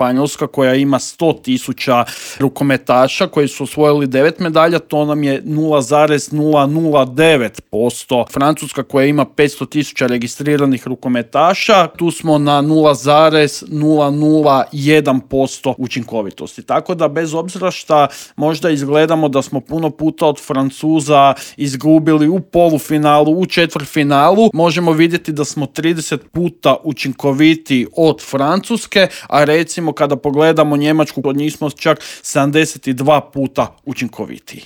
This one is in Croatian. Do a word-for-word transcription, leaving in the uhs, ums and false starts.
Španjolska koja ima sto tisuća rukometaša koji su osvojili devet medalja, to nam je nula zarez nula nula devet posto. Francuska koja ima petsto tisuća registriranih rukometaša, tu smo na nula zarez nula nula jedan posto učinkovitosti. Tako da bez obzira šta možda izgledamo da smo puno puta od Francuza izgubili u polufinalu, u četvrtfinalu, možemo vidjeti da smo trideset puta učinkoviti od Francuske, a recimo kada pogledamo Njemačku, od njih smo čak sedamdeset dva puta učinkovitiji.